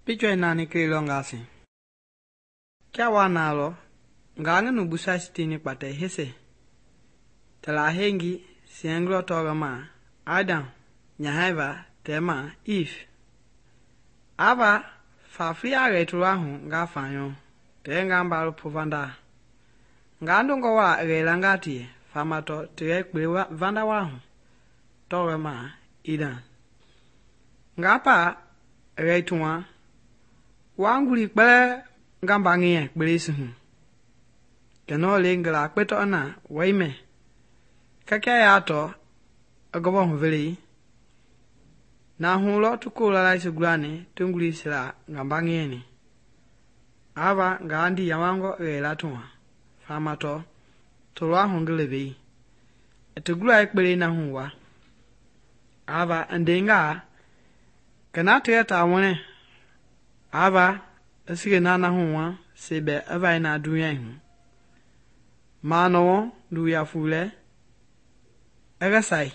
Pichwa nani kilo ngasi. Kia wanalo, ngange nubusa sitini pate hese. Tela hengi sienglo togama Adam nyahaiva tema Eve. Ava fafia returahu nga fanyo tenga mbalu povanda. Ngandungo wa relangati famato tirekwe vanda wahu togama Eden. Ngapa reituma wanguli kpele ngambangie kpelesihu. Keno lengla kpeto na waime. Kakia yato agobo huveli. Na hulo tukula laisi gulani tunguli sila ngambangie ni. Ava ngandi yawango relatuma. Famato tolwa hungelevei. Etugula ekpele na huwa. Ava andenga kana teta wone. Ava asige nana huwa sebe ava ina dunya hu. Mano du ya fule. Egasai